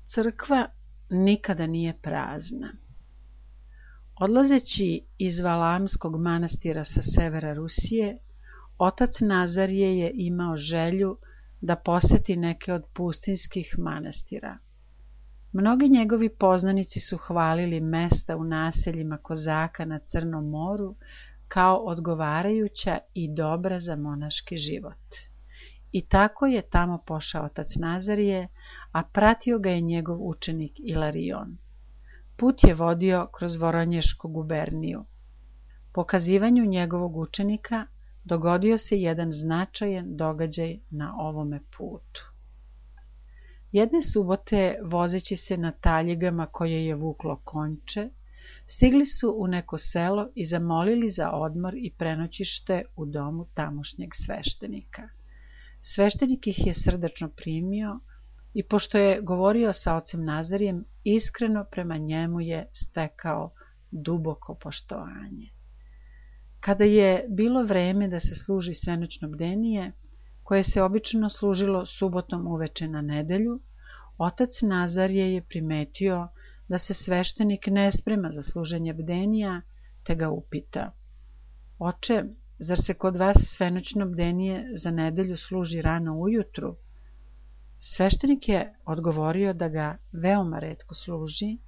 Crkva nikada nije prazna. Odlazeći iz Valamskog manastira sa severa Rusije, otac Nazarije je imao želju da poseti neke od pustinjskih manastira. Mnogi njegovi poznanici su hvalili mesta u naseljima kozaka na Crnom moru kao odgovarajuća i dobra za monaški život. I tako je tamo pošao otac Nazarije, a pratio ga je njegov učenik Ilarion. Put je vodio kroz Voronješku guberniju. Po kazivanju njegovog učenika dogodio se jedan značajan događaj na ovome putu. Jedne subote, vozeći se na taljigama koje je vuklo konče, stigli su u neko selo i zamolili za odmor i prenoćište u domu tamošnjeg sveštenika. Sveštenik ih je srdačno primio i pošto je govorio sa ocem Nazarijem, iskreno prema njemu je stekao duboko poštovanje. Kada je bilo vreme da se služi svenoćno bdenije, koje se obično služilo subotom uveče na nedelju, otac Nazarije je primetio da se sveštenik ne sprema za služenje bdenija, te ga upita: Oče, zar se kod vas svenoćno bdenije za nedelju služi rano ujutru? Sveštenik je odgovorio da ga veoma retko služi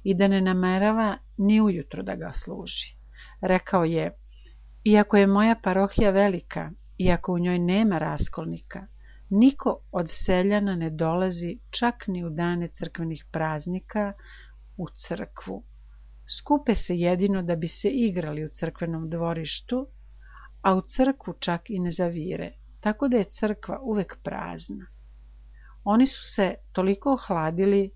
i da ne namerava ni ujutro da ga služi. Rekao je: Iako je moja parohija velika, iako u njoj nema raskolnika, niko od seljana ne dolazi čak ni u dane crkvenih praznika u crkvu. Skupe se jedino da bi se igrali u crkvenom dvorištu, a u crkvu čak i ne zavire, tako da je crkva uvek prazna. Oni su se toliko ohladili,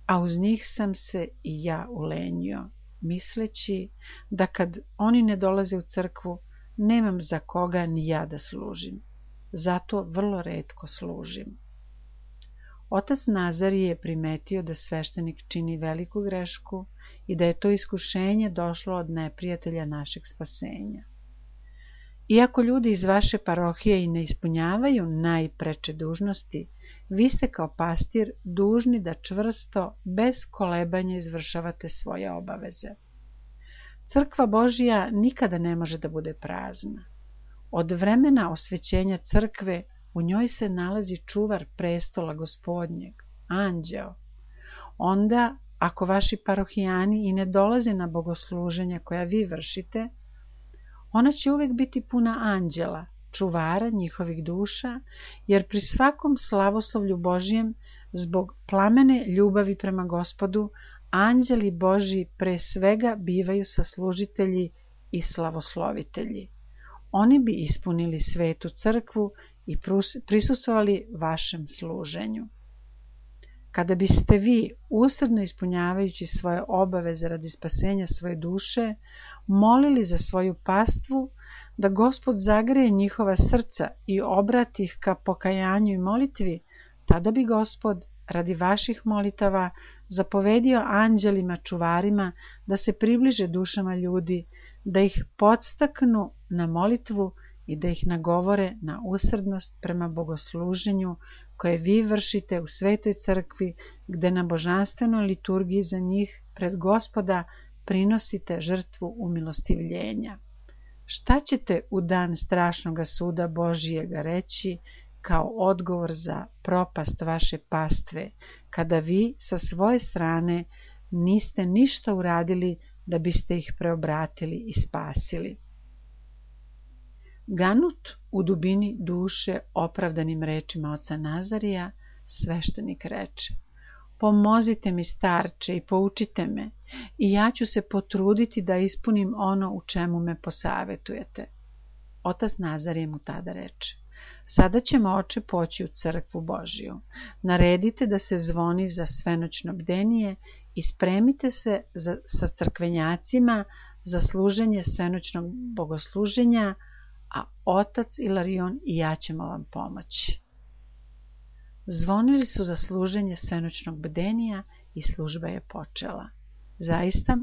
a uz njih sam se i ja ulenio, misleći da kad oni ne dolaze u crkvu, nemam za koga ni ja da služim. Zato vrlo retko služim. Otac Nazarije je primetio da sveštenik čini veliku grešku i da je to iskušenje došlo od neprijatelja našeg spasenja. Iako ljudi iz vaše parohije i ne ispunjavaju najpreče dužnosti, vi ste kao pastir dužni da čvrsto, bez kolebanja izvršavate svoje obaveze. Crkva Božija nikada ne može da bude prazna. Od vremena osvećenja crkve u njoj se nalazi čuvar prestola Gospodnjeg, anđeo. Onda, ako vaši parohijani i ne dolaze na bogosluženja koja vi vršite, ona će uvek biti puna anđela, čuvara njihovih duša, jer pri svakom slavoslovlju Božijem, zbog plamene ljubavi prema Gospodu, anđeli Božji pre svega bivaju saslužitelji i slavoslovitelji. Oni bi ispunili svetu crkvu i prisustvovali vašem služenju. Kada biste vi, usrdno ispunjavajući svoje obaveze radi spasenja svoje duše, molili za svoju pastvu, da Gospod zagreje njihova srca i obrati ih ka pokajanju i molitvi, tada bi Gospod, radi vaših molitava, zapovedio anđelima čuvarima da se približe dušama ljudi, da ih podstaknu na molitvu i da ih nagovore na usrdnost prema bogosluženju koje vi vršite u svetoj crkvi, gde na božanstvenoj liturgiji za njih pred Gospoda prinosite žrtvu umilostivljenja. Šta ćete u dan strašnoga suda Božijega reći kao odgovor za propast vaše pastve, kada vi sa svoje strane niste ništa uradili da biste ih preobratili i spasili? Ganut u dubini duše opravdanim rečima oca Nazarija, sveštenik reče: Pomozite mi, starče, i poučite me, i ja ću se potruditi da ispunim ono u čemu me posavetujete. Otac Nazarije mu tada reče: Sada ćemo, oče, poći u crkvu Božiju. Naredite da se zvoni za svenoćno bdenije i spremite se sa crkvenjacima za služenje svenoćnog bogosluženja, a otac Ilarion i ja ćemo vam pomoći. Zvonili su za služenje svenoćnog bdenija i služba je počela. Zaista,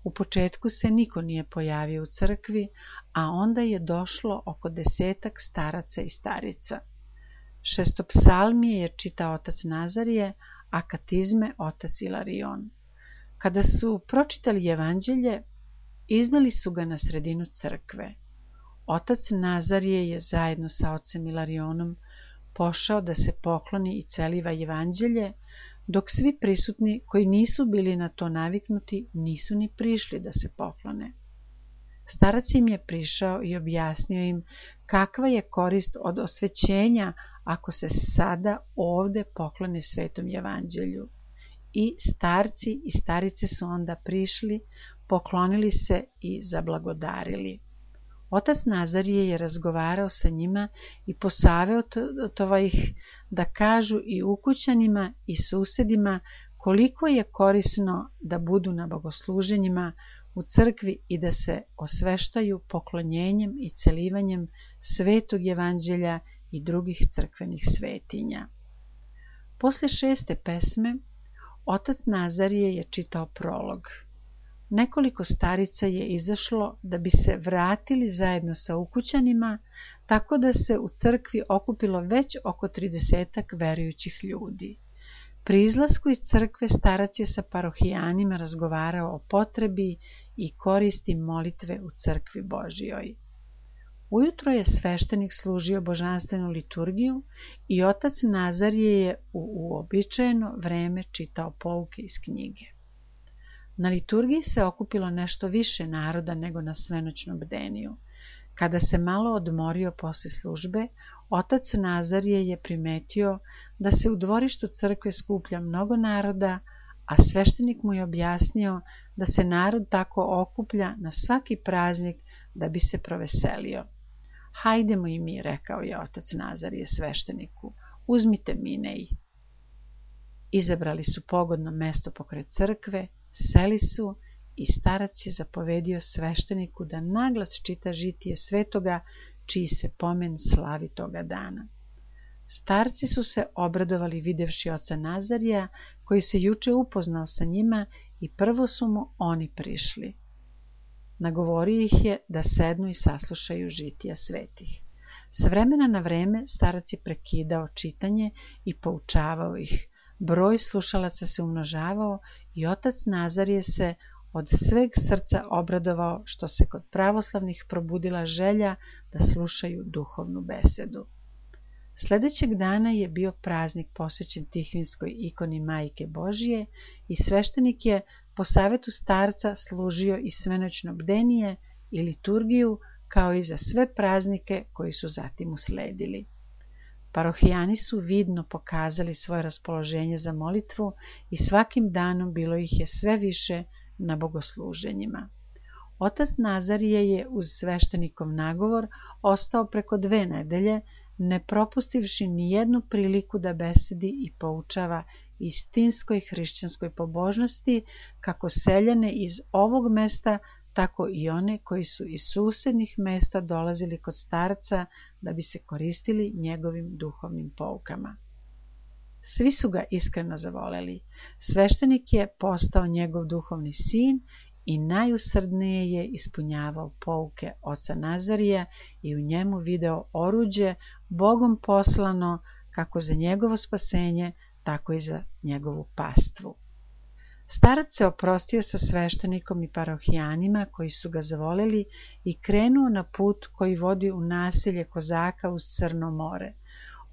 u početku se niko nije pojavio u crkvi, a onda je došlo oko 10 staraca i starica. Šestopsalmije je čitao otac Nazarije, akatizme otac Ilarion. Kada su pročitali evanđelje, izneli su ga na sredinu crkve. Otac Nazarije je zajedno sa ocem Ilarionom pošao da se pokloni i celiva evanđelje, dok svi prisutni koji nisu bili na to naviknuti nisu ni prišli da se poklone. Starac im je prišao i objasnio im kakva je korist od osvećenja ako se sada ovde poklone svetom evanđelju. I starci i starice su onda prišli, poklonili se i zablagodarili. Otac Nazarije je razgovarao sa njima i posavetovao ih da kažu i ukućanima i susedima koliko je korisno da budu na bogosluženjima u crkvi i da se osveštaju poklonjenjem i celivanjem svetog evanđelja i drugih crkvenih svetinja. Posle 6. pesme, otac Nazarije je čitao prolog. Nekoliko starica je izašlo da bi se vratili zajedno sa ukućanima, tako da se u crkvi okupilo već oko 30 verujućih ljudi. Pri izlasku iz crkve starac je sa parohijanima razgovarao o potrebi i koristi molitve u crkvi Božijoj. Ujutro je sveštenik služio božanstvenu liturgiju i otac Nazarije je u uobičajeno vreme čitao pouke iz knjige. Na liturgiji se okupilo nešto više naroda nego na svenoćnom bdeniju. Kada se malo odmorio posle službe, otac Nazarije je primetio da se u dvorištu crkve skuplja mnogo naroda, a sveštenik mu je objasnio da se narod tako okuplja na svaki praznik da bi se proveselio. Hajdemo i mi, rekao je otac Nazarije svešteniku, uzmite minej. Izabrali su pogodno mesto pokraj crkve, seli su i starac je zapovedio svešteniku da naglas čita žitije svetoga, čiji se pomen slavi toga dana. Starci su se obradovali videvši oca Nazarija, koji se juče upoznao sa njima i prvo su mu oni prišli. Nagovorio ih je da sednu i saslušaju žitija svetih. S vremena na vreme starac je prekidao čitanje i poučavao ih. Broj slušalaca se umnožavao i otac Nazarije se od sveg srca obradovao što se kod pravoslavnih probudila želja da slušaju duhovnu besedu. Sledećeg dana je bio praznik posvećen Tihvinskoj ikoni Majke Božije i sveštenik je po savetu starca služio i svenoćno bdenije i liturgiju kao i za sve praznike koji su zatim usledili. Parohijani su vidno pokazali svoje raspoloženje za molitvu i svakim danom bilo ih je sve više na bogosluženjima. Otac Nazarije je uz sveštenikov nagovor ostao preko 2 nedelje, ne propustivši ni jednu priliku da besedi i poučava istinskoj hrišćanskoj pobožnosti, kako seljane iz ovog mesta, tako i one koji su iz susednih mesta dolazili kod starca da bi se koristili njegovim duhovnim poukama. Svi su ga iskreno zavoleli. Sveštenik je postao njegov duhovni sin i najusrdnije je ispunjavao pouke oca Nazarija i u njemu video oruđe Bogom poslano kako za njegovo spasenje, tako i za njegovu pastvu. Starac se oprostio sa sveštenikom i parohijanima koji su ga zavoleli i krenuo na put koji vodi u naselje Kozaka uz Crno more.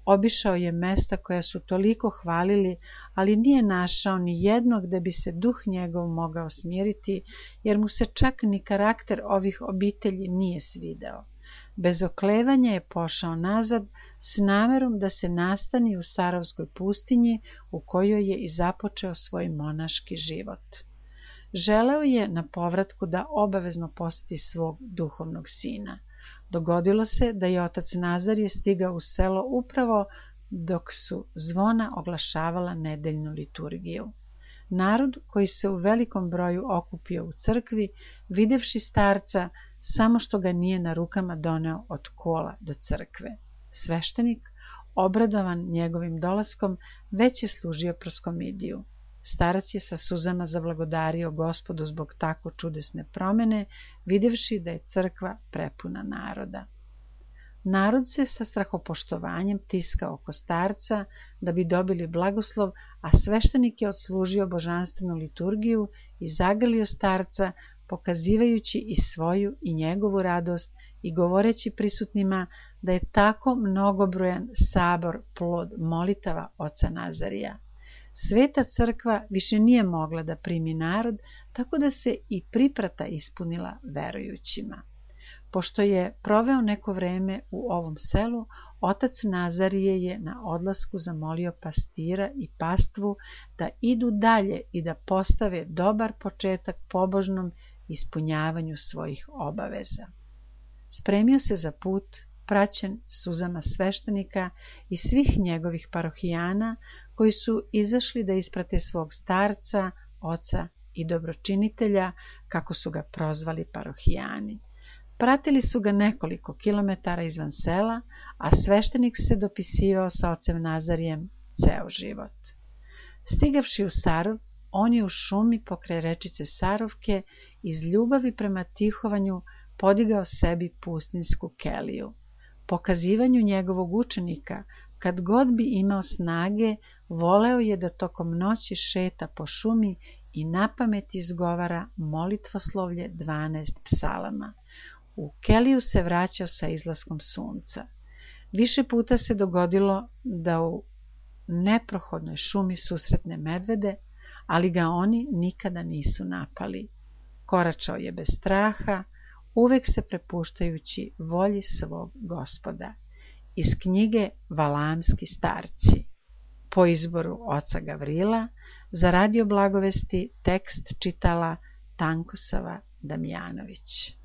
Obišao je mesta koja su toliko hvalili, ali nije našao ni jednog da bi se duh njegov mogao smiriti, jer mu se čak ni karakter ovih obitelji nije svideo. Bez oklevanja je pošao nazad s namerom da se nastani u Sarovskoj pustinji u kojoj je i započeo svoj monaški život. Želeo je na povratku da obavezno poseti svog duhovnog sina. Dogodilo se da je otac Nazarije stigao u selo upravo dok su zvona oglašavala nedeljnu liturgiju. Narod koji se u velikom broju okupio u crkvi, videvši starca, samo što ga nije na rukama doneo od kola do crkve. Sveštenik, obradovan njegovim dolaskom, već je služio proskomidiju. Starac je sa suzama zablagodario Gospodu zbog tako čudesne promene, videvši da je crkva prepuna naroda. Narod se sa strahopoštovanjem tiskao oko starca da bi dobili blagoslov, a sveštenik je odslužio božanstvenu liturgiju i zagrlio starca, pokazivajući i svoju i njegovu radost i govoreći prisutnima da je tako mnogobrojan sabor plod molitava oca Nazarija. Sveta crkva više nije mogla da primi narod, tako da se i priprata ispunila verujućima. Pošto je proveo neko vreme u ovom selu, otac Nazarije je na odlasku zamolio pastira i pastvu da idu dalje i da postave dobar početak pobožnom ispunjavanju svojih obaveza. Spremio se za put, praćen suzama sveštenika i svih njegovih parohijana koji su izašli da isprate svog starca, oca i dobročinitelja, kako su ga prozvali parohijani. Pratili su ga nekoliko kilometara izvan sela, a sveštenik se dopisivao sa ocem Nazarijem ceo život. Stigavši u Sarov, on je u šumi pokraj rečice Sarovke iz ljubavi prema tihovanju podigao sebi pustinsku keliju. Pokazivanju njegovog učenika, kad god bi imao snage, voleo je da tokom noći šeta po šumi i napamet izgovara molitvoslovlje 12 psalama. U keliju se vraćao sa izlaskom sunca. Više puta se dogodilo da u neprohodnoj šumi susretne medvede, ali ga oni nikada nisu napali. Koračao je bez straha, uvek se prepuštajući volji svog Gospoda. Iz knjige Valamski starci. Po izboru oca Gavrila, za Radio Blagovesti tekst čitala Tankosava Damjanović.